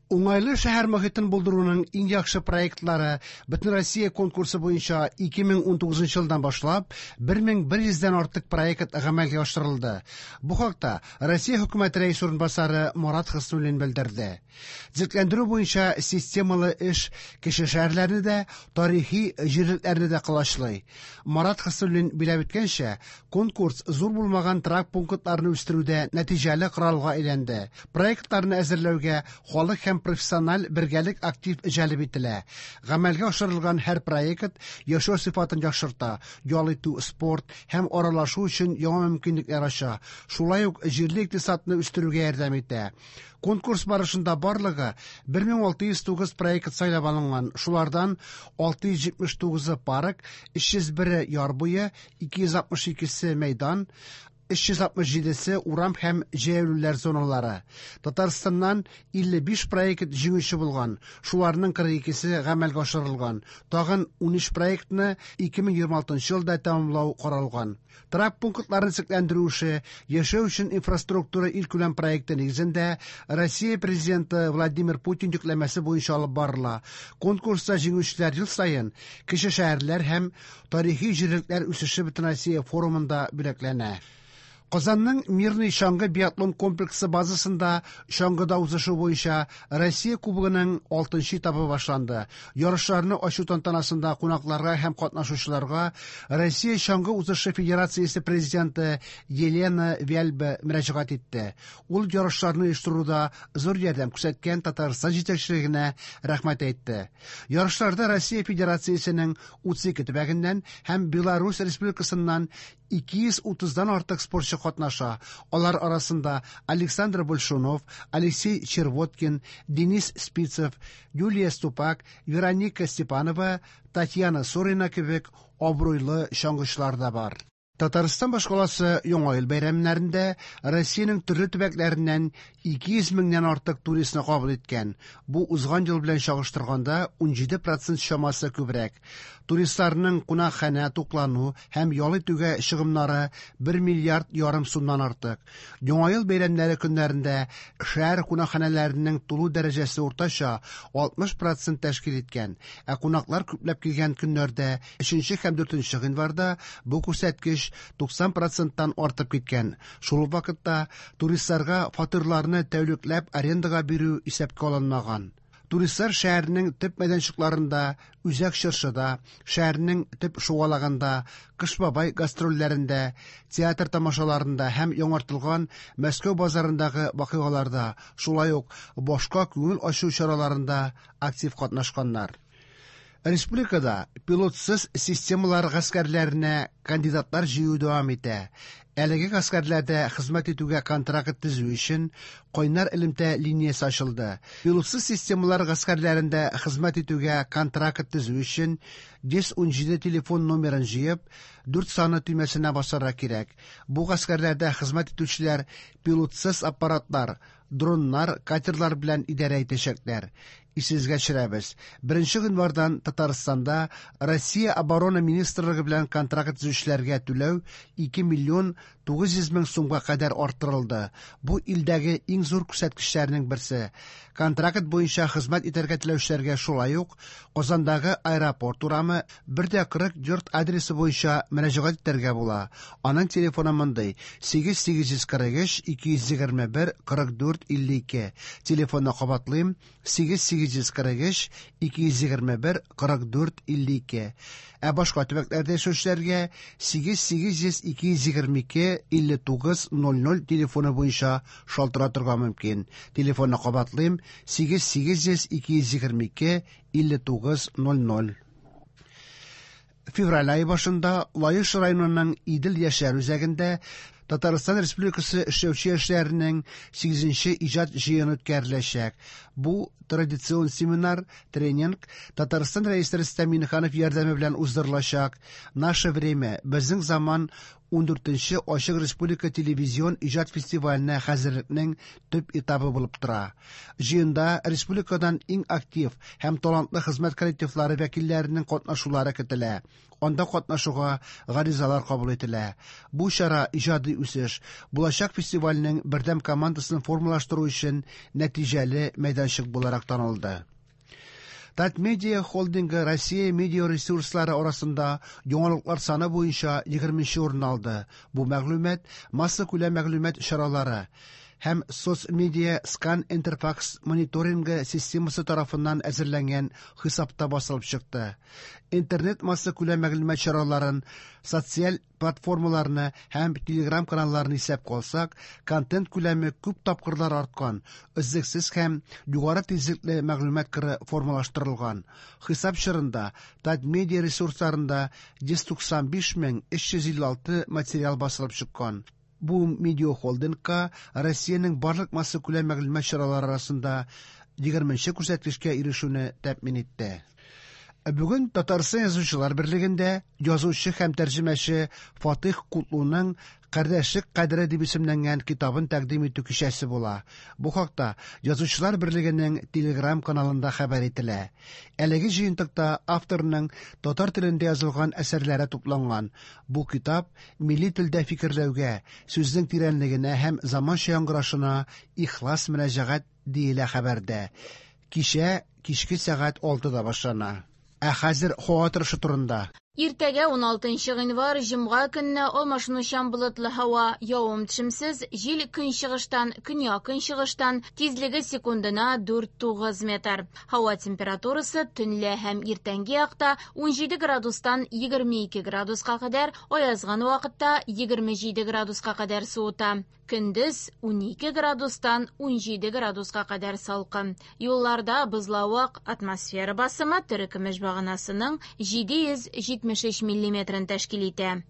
Уңайлы шәһәр мохитен булдыруның иң яхшы проектлары Бөтенроссия конкурсы буенча 2019 елдан башлап 1100 дән артык проект гамәлгә ашырылды. Бу хакта Россия хөкүмәте рәисе урынбасары Марат Хөснуллин белдерде. Төзекләндерү буенча системалы эш кече шәһәрләрне дә, тарихи җирлекләрне дә колачлый. Марат Хөснуллин биләп үткәнчә, конкурс зур булмаган торак пунктларны үстерүдә нәтиҗәле коралга әйләнде. Проектларны әзерләүгә халык һәм профессиональ бергәлек актив җәлеп ителә. Гамәлгә ашырылган һәр проект яшәү сыйфатын яхшырта, ял итү, спорт һәм аралашу өчен яңа мөмкинлекләр ача, шулай ук җирле икътисадны үстерүгә ярдәм итә. Конкурс барышында барлыгы 1609 проект сайлап алынган. Шулардан 679-ы парк, 301-е яр буе, 262-се мәйдан, 367-се урам һәм җәяүлеләр зоналары. Татарстаннан 55 проект җиңүче булган, шуларның 42-се гамәлгә ашырылган. Тагын 13 проектны 2026 елда тәмамлау каралган. Торак пунктларын төзекләндерү эше яшәү өчен инфраструктура илкүләм проекты нигезендә Россия Президенты Владимир Путин йөкләмәсе буенча алып барыла. Конкурста җиңүчеләр ел саен кече шәһәрләр һәм тарихи җирлекләр үсеше Бөтенроссия форумында бүләкләнә. Казанның Мирный чаңгы биатлон комплексы базасында чаңгыда узышу буенча Россия Кубогының 6 этабы башланды. Ярышларны ачу тантанасында кунакларга һәм катнашучыларга Россия чаңгы узышы федерациясе президенты Елена Вяльбе мөрәҗәгать итте. Ул ярышларны оештыруда зур ярдәм күрсәткән Татарстан җитәкчелегенә рәхмәт әйтте. Ярышларда Россия Федерациясенең 32 төбәгеннән һәм Беларусь Республикасыннан 230-дан артык спортчы катнаша. Алар арасында Александр Большунов, Алексей Червоткин, Денис Спицев, Юлия Ступак, Вероника Степанова, Татьяна Сурина кебек абруйлы чаңгычылар да бар. Татарстан башкаласы Яңа ел бәйрәмнәрендә Россиянең төрле төбәкләреннән 200 меңнән артык туристны кабул иткән. Бу узган ел белән чагыштырганда 17% чамасы күбрәк. Туристларның кунакханә, туклану һәм ял итүгә чыгымнары 1 миллиард ярым сумнан артык. Яңа ел бәйрәмнәре көннәрендә шәһәр кунакханәләренең тулу дәрәҗәсе уртача 60% тәшкил иткән, ә кунаклар күпләп килгән көннәрдә 3 һәм 4 гыйнварда бу күрсәткеч 90%-тан артып киткән. Шул ук вакытта туристларга фатирларны тәүлекләп арендага бирү исәпкә алынмаган. Туристлар шәһәрнең төп мәйданчыкларында, Үзәк чыршыда, шәһәрнең төп шугалагында, Кыш бабай гастрольләрендә, театр тамашаларында һәм яңартылган Мәскәү базарындагы вакыйгаларда, шулай ук башка күңел ачу чараларында актив катнашканнар. Республикада пилотсыз системалар гаскәрләренә кандидатлар җыю дәвам итә. Әлеге гаскәрләрдә хезмәт итүгә контракт төзү өчен кайнар элемтә линиясе ачылды. Пилотсыз системалар гаскәрләрендә хезмәт итүгә контракт төзү өчен 117 телефон номерын җыеп, 4 саны төймәсенә басарга кирәк. Бу гаскәрләрдә хезмәт итүчеләр пилотсыз аппаратлар, дроннар, катерлар белән идарә итәчәкләр. Исегезгә төшерәбез. 1 гыйнвардан Татарстанда Россия Оборона министрлыгы белән контракт төзүчеләргә түләү 2 миллион 900 мең сумга кадәр арттырылды. Бу илдәге иң зур күрсәткечләрнең берсе. Контракт буенча хезмәт итәргә теләүчеләргә шулай ук Казандагы аэропорт урамы 144 адресы буенча мөрәҗәгать итәргә була. Аның телефоны мондый: 8843 221 44 52. Телефонны кабатлыйм: 8843 221 44 52. Ә башка төбәкләрдә яшәүчеләргә 8800 222 59 00 телефоны буенча шалтыратырга мөмкин. Телефонны кабатлыйм: 8800 222 59 00. Февраль айы башында Лаеш районының Идел яшьләр үзәгендә Татарстан Республикасы эшләүче яшьләренең 8нче иҗат җыены үткәреләчәк. Бу традицион семинар, тренинг Татарстан Рәисе Рөстәм Миңнеханов ярдәме белән уздырылачак. Наше время, безнең заман 14нче Ачык республика телевизион иҗат фестиваленә хәзерлекнең төп этабы булып тора. Җыенда республикадан иң актив һәм талантлы хезмәт коллективлары вәкилләренең катнашулары көтелә. Анда катнашуга гаризалар кабул ителә. Бу чара иҗади үсеш, булачак фестивальнең бердәм командасын формалаштыру өчен нәтиҗәле мәйданчык буларак танылды. Татмедиа холдингы Россия медиаресурслары арасында яңалыклар саны буенча 20 урын алды. Бу мәгълүмат массакүләм мәгълүмат чаралары һәм соцмедиа Скан Интерфакс мониторингы системасы тарафыннан әзерләнгән хисапта басылып чыкты. Интернет массакүләм мәгълүмат чараларын, социаль платформаларны һәм телеграм-каналларны исәпкә алсак, контент күләме күп тапкырлар арткан, өзлексез һәм югары тизлекле мәгълүмат кыры формалаштырылган. Хисап чорында Татмедиа ресурсларында 195 356 материал басылып чыккан. Бу медиахолдингка Россиянең барлык массакүләм мәгълүмат чаралары арасында 20нче күрсәткечкә ирешүне тәэмин итте. Бүген Татарстан Язучылар берлегендә язучы һәм тәрҗемәче Фатих Кутлуның Кардәшлек кадере дип исемләнгән китабын тәкъдим итү кичәсе була. Бу хакта Язучылар берлегенең Телеграм каналында хәбәр ителә. Әлеге җыентыкта авторның татар телендә язылган әсәрләре тупланган. Бу китап милли телдә фикерләүгә, сүзнең тирәнлегенә һәм заманча яңгырашына ихлас мөрәҗәгать диелә хәбәрдә. Кичә кичке сәгать 6да башлана. Ә хәзер һава торышы турында. Иртәгә 16 гыйнвар җомга көнне алмашынучан болытлы һава, явым-төшемсез, җил көнчыгыштан, көньяк-көнчыгыштан, тизлеге секундына 4-9 метр. Һава температурасы төнлә һәм иртәнге якта 17 градустан 22 градуска кадәр, аязган вакытта 27 градуска кадәр суыта. Көндез 12 градустан 17 градуска кадәр салкын. Юлларда бозлавык, атмосфера басымы терекөмеш баганасының 773 миллиметрын тәшкил итә.